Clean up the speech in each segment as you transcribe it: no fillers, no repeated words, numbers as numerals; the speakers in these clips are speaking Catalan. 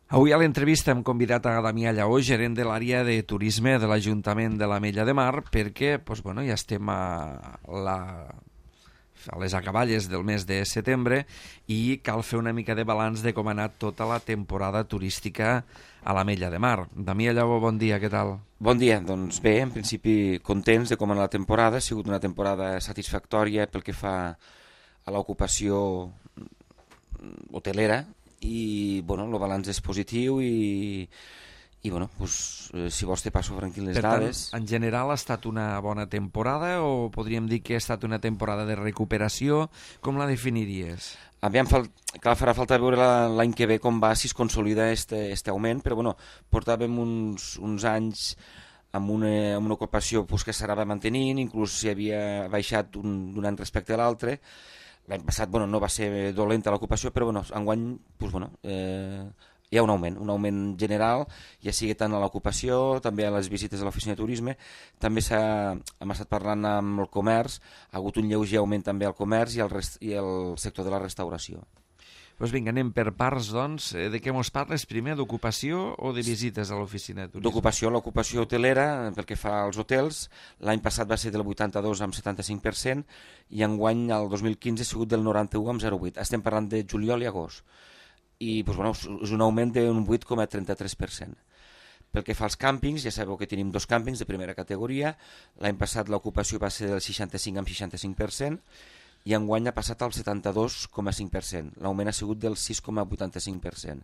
Avui a l'entrevista hem convidat a Damià Lleó, gerent de l'àrea de turisme de l'Ajuntament de l'Ametlla de Mar, perquè ja estem a les acaballes del mes de setembre i cal fer una mica de balanç de com ha anat tota la temporada turística a l'Ametlla de Mar. Damià Lleó, bon dia, què tal? Bon dia, doncs bé, en principi contents de com ha anat la temporada, ha sigut una temporada satisfactòria pel que fa a l'ocupació hotelera i el balanç és positiu i si vols te passo franquil les dades. Per tant, en general ha estat una bona temporada o podríem dir que ha estat una temporada de recuperació? Com la definiries? Aviam, farà falta veure l'any que ve com va, si es consolida este augment, però portàvem uns anys amb una ocupació que s'anava mantenint, inclús si havia baixat d'un any respecte a l'altre. L'any passat no va ser dolenta l'ocupació, però enguany hi ha un augment general, ja sigui tant a l'ocupació, també a les visites a l'oficina de turisme, també hem estat parlant amb el comerç, ha hagut un lleuger augment també al comerç i el sector de la restauració. Doncs vinga, anem per parts, doncs. De què mos parles primer, d'ocupació o de visites a l'oficina de turisme? D'ocupació, l'ocupació hotelera, pel que fa als hotels, l'any passat va ser del 82 amb 75% i enguany, el 2015, ha sigut del 91 amb 0,8. Estem parlant de juliol i agost. I és un augment d'un 8,33%. Pel que fa als càmpings, ja sabeu que tenim dos càmpings de primera categoria. L'any passat l'ocupació va ser del 65 amb 65%, i enguany ha passat al 72,5%. L'augment ha sigut del 6,85%.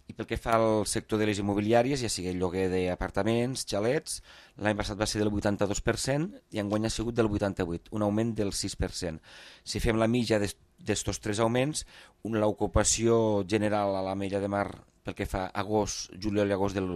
I pel que fa al sector de les immobiliàries, ja sigui el lloguer d'apartaments, xalets, l'any passat va ser del 82% i enguany ha sigut del 88%, un augment del 6%. Si fem la mitja d'estos tres augments, l'ocupació general a l'Ametlla de Mar pel que fa agost, juliol i agost del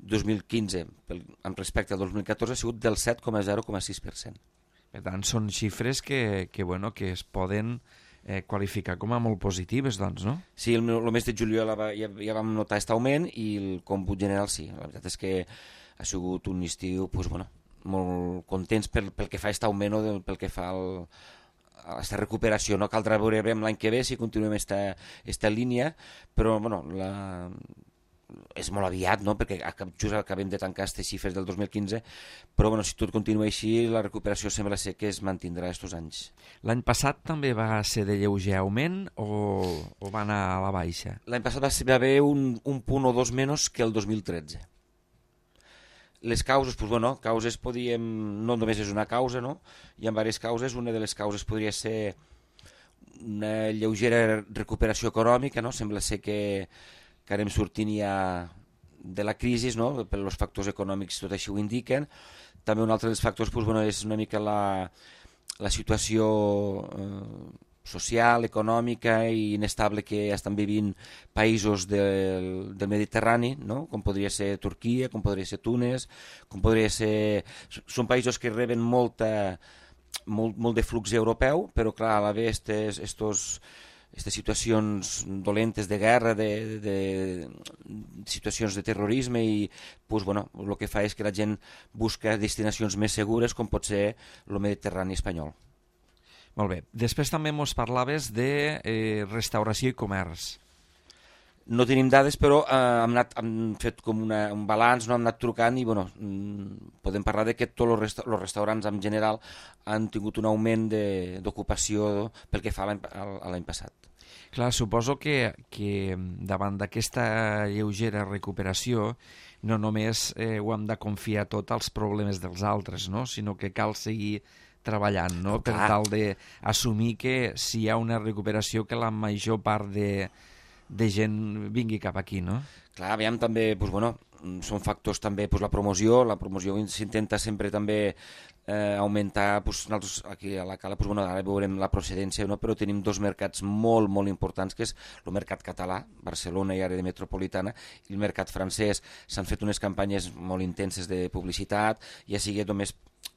2015 amb respecte al 2014 ha sigut del 7,06%. Per tant, són xifres que es poden qualificar com a molt positives, doncs, no? Sí, el mes de juliol ja vam notar aquest augment i el còmput general sí. La veritat és que ha sigut un estiu molt contents pel que fa a aquest augment o pel que fa a aquesta recuperació. No caldrà veure l'any que ve si continuem aquesta línia, però és molt aviat, no? Perquè just acabem de tancar aquestes xifres del 2015, però si tot continua així, la recuperació sembla ser que es mantindrà aquests anys. L'any passat també va ser de lleuger augment o va anar a la baixa? L'any passat va haver un punt o dos menys que el 2013. Les causes, causes no només és una causa, no? Hi ha diverses causes. Una de les causes podria ser una lleugera recuperació econòmica, no? Sembla ser que anem sortint ja de la crisi, no? Per els factors econòmics tot així ho indiquen. També un altre dels factors és una mica la situació social, econòmica i inestable que estan vivint països del Mediterrani, no? Com podria ser Turquia, com podria ser Túnez, com podria ser... Són països que reben molt de flux europeu, però clar, a la vegada aquestes situacions dolentes de guerra, de situacions de terrorisme i el que fa és que la gent busca destinacions més segures com pot ser el Mediterrani espanyol. Molt bé. Després també mos parlaves de restauració i comerç. No tenim dades, però hem fet com un balanç, no? Hem anat trucant i podem parlar de que tots els restaurants en general han tingut un augment d'ocupació pel que fa a l'any passat. Clar, suposo que davant d'aquesta lleugera recuperació no només ho hem de confiar tot als problemes dels altres, no? Sinó que cal seguir treballant, no? Per tal d'assumir que si hi ha una recuperació que la major part de gent vingui cap aquí, no? Clar, aviam també, són factors també la promoció s'intenta sempre també augmentar, nosaltres aquí a la Cala, ara veurem la procedència, no? Però tenim dos mercats molt, molt importants, que és el mercat català, Barcelona i àrea metropolitana, i el mercat francès. S'han fet unes campanyes molt intenses de publicitat, ja sigui només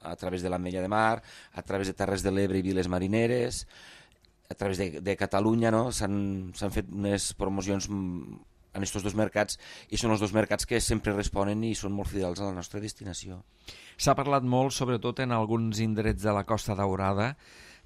a través de l'Ametlla de Mar, a través de Terres de l'Ebre i Viles Marineres, a través de Catalunya, no? S'han fet unes promocions en aquests dos mercats i són els dos mercats que sempre responen i són molt fidels a la nostra destinació. S'ha parlat molt, sobretot en alguns indrets de la Costa Daurada,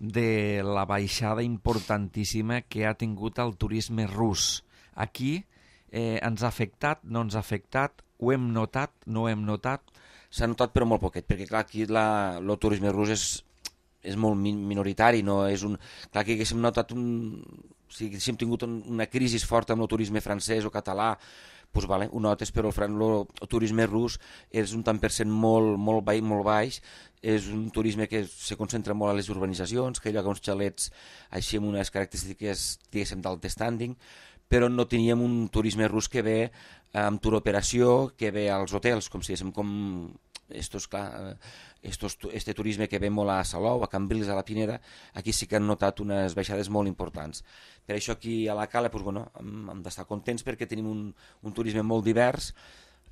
de la baixada importantíssima que ha tingut el turisme rus. Aquí ens ha afectat, no ens ha afectat, ho hem notat, no ho hem notat? S'ha notat però molt poquet, perquè clar, aquí el turisme rus és molt minoritari, no és un... Clar que haguéssim notat si haguéssim tingut una crisi forta amb el turisme francès o català, doncs vale, ho notes, però el turisme rus és un tant per cent molt baix, és un turisme que se concentra molt a les urbanitzacions, que hi ha uns xalets així amb unes característiques, diguéssim, d'alt standing, però no teníem un turisme rus que ve amb tour operació, que ve als hotels, com si diguéssim, com este turisme que ve molt a Salou, a Cambrils, a la Pineda. Aquí sí que han notat unes baixades molt importants. Per això aquí a la Cala doncs, bueno, hem d'estar contents perquè tenim un turisme molt divers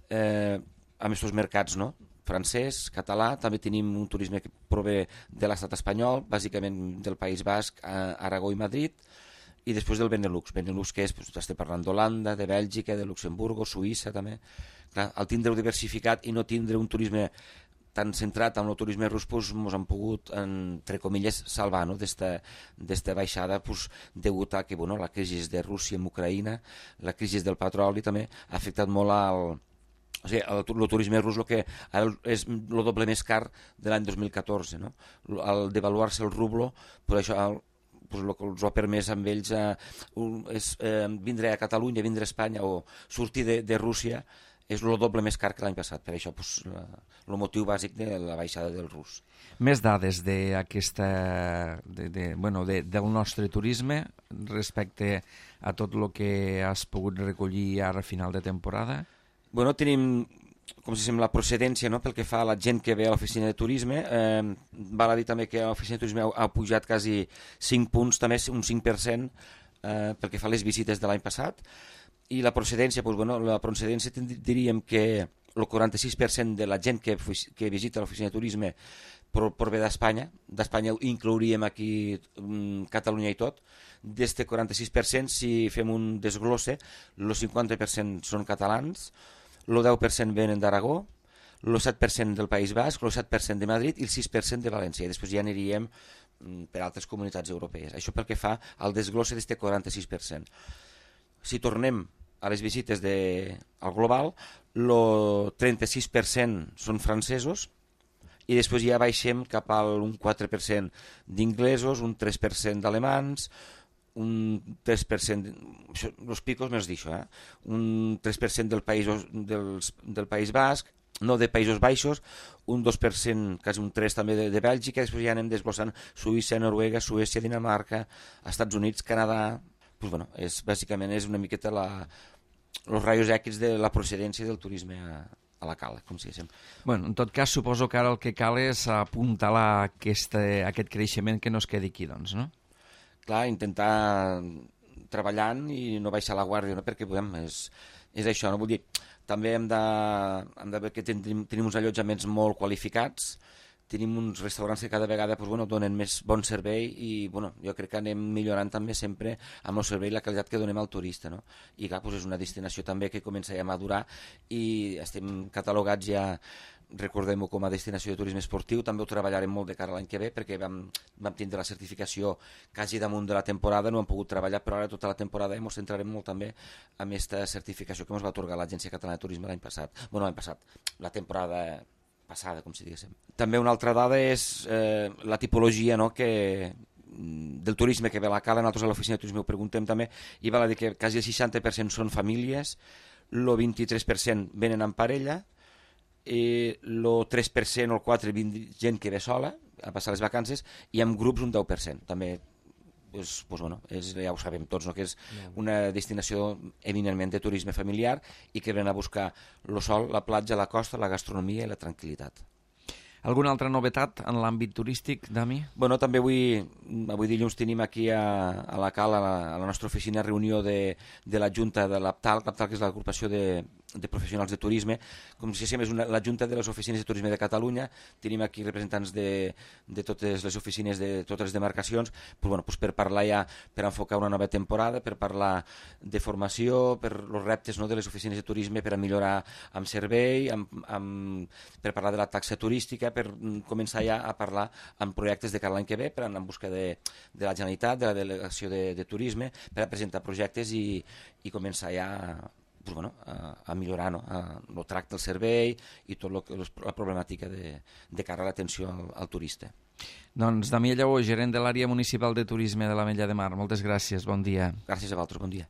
amb aquests mercats, no? Francès, català, també tenim un turisme que prové de l'estat espanyol, bàsicament del País Basc, Aragó i Madrid, i després del Benelux, que és, doncs, estem parlant d'Holanda, de Bèlgica, de Luxemburgo, Suïssa també. Clar, al tindre-ho diversificat i no tindre un turisme tan centrat en el turisme rus, doncs ens han pogut, entre comilles, salvar, no? d'esta baixada, doncs, degut a que la crisi de Rússia amb Ucraïna, la crisi del petroli també ha afectat molt o sigui, el turisme rus que és el doble més car de l'any 2014, no? Al devaluar-se el rublo, per això pues, el que els ha permès amb ells és vindre a Catalunya, vindre a Espanya o sortir de Rússia és el doble més car que l'any passat. Per això pues, el motiu bàsic de la baixada del rus. Més dades del nostre turisme respecte a tot el que has pogut recollir ara a final de temporada? Bueno, tenim, com si sembla, la procedència, no? Pel que fa a la gent que ve a l'oficina de turisme. Val a dir també que l'oficina de turisme ha pujat quasi 5 punts, també un 5% pel que fa a les visites de l'any passat. I la procedència, diríem que el 46% de la gent que visita l'oficina de turisme prové d'Espanya. D'Espanya inclouríem aquí Catalunya i tot. D'este 46%, si fem un desglosse, el 50% són catalans, el 10% venen d'Aragó, el 7% del País Basc, el 7% de Madrid i el 6% de València. I després ja aniríem per altres comunitats europees. Això pel que fa al desglosse d'aquest 46%. Si tornem a les visites al global, el 36% són francesos i després ja baixem cap a un 4% d'inglesos, un 3% d'alemans, un 3%, els picos me'ls deixo, un 3% del País Basc, no de Països Baixos, un 2%, quasi un 3% també de Bèlgica, després ja anem desglossant Suïssa, Noruega, Suècia, Dinamarca, Estats Units, Canadà. Pues bueno, bàsicament és una miqueta els raios X de la procedència del turisme a la Cala, com si diguéssim. Bueno, en tot cas, suposo que ara el que cal és apuntalar aquest creixement que no es quedi aquí, doncs, no? Clar, intentar treballant i no baixar la guàrdia, no? Perquè és això, no? Vull dir, també hem de veure que tenim uns allotjaments molt qualificats, tenim uns restaurants que cada vegada donen més bon servei i jo crec que anem millorant també sempre amb el servei i la qualitat que donem al turista, no? I clar, és una destinació també que comença ja a madurar i estem catalogats ja, recordem-ho, com a destinació de turisme esportiu. També ho treballarem molt de cara a l'any que ve perquè vam tindre la certificació quasi damunt de la temporada, no hem pogut treballar, però ara tota la temporada ens centrarem molt també en aquesta certificació que ens va atorgar l'Agència Catalana de Turisme l'any passat. La temporada passada, com si diguéssim. També una altra dada és la tipologia, no?, del turisme que ve a la Cala. Nosaltres a l'oficina de turisme ho preguntem també i val a dir que quasi el 60% són famílies, el 23% venen en parella, el 3% o el 4% gent que ve sola a passar les vacances i amb grups un 10%. També ja ho sabem tots, no?, que és una destinació eminentment de turisme familiar i que venen a buscar el sol, la platja, la costa, la gastronomia i la tranquil·litat. Alguna altra novetat en l'àmbit turístic, Dami? També avui dilluns tenim aquí a la Cala, a la nostra oficina, reunió de la Junta de l'APTAL, que és l'agrupació de professionals de turisme. Com si diguéssim, és la Junta de les Oficines de Turisme de Catalunya. Tenim aquí representants de totes les oficines de totes les demarcacions per parlar ja, per enfocar una nova temporada, per parlar de formació, per els reptes, no?, de les oficines de turisme, per a millorar amb servei, per parlar de la taxa turística, per començar ja a parlar en projectes de cara a l'any que ve, per anar en busca de la Generalitat, de la Delegació de Turisme, per a presentar projectes i començar ja pues, bueno, a millorar, no? El tracte del servei i tot la problemàtica de cara a l'atenció al turista. Doncs Damià Lleó, gerent de l'àrea municipal de turisme de l'Ametlla de Mar, moltes gràcies, bon dia. Gràcies a vosaltres, bon dia.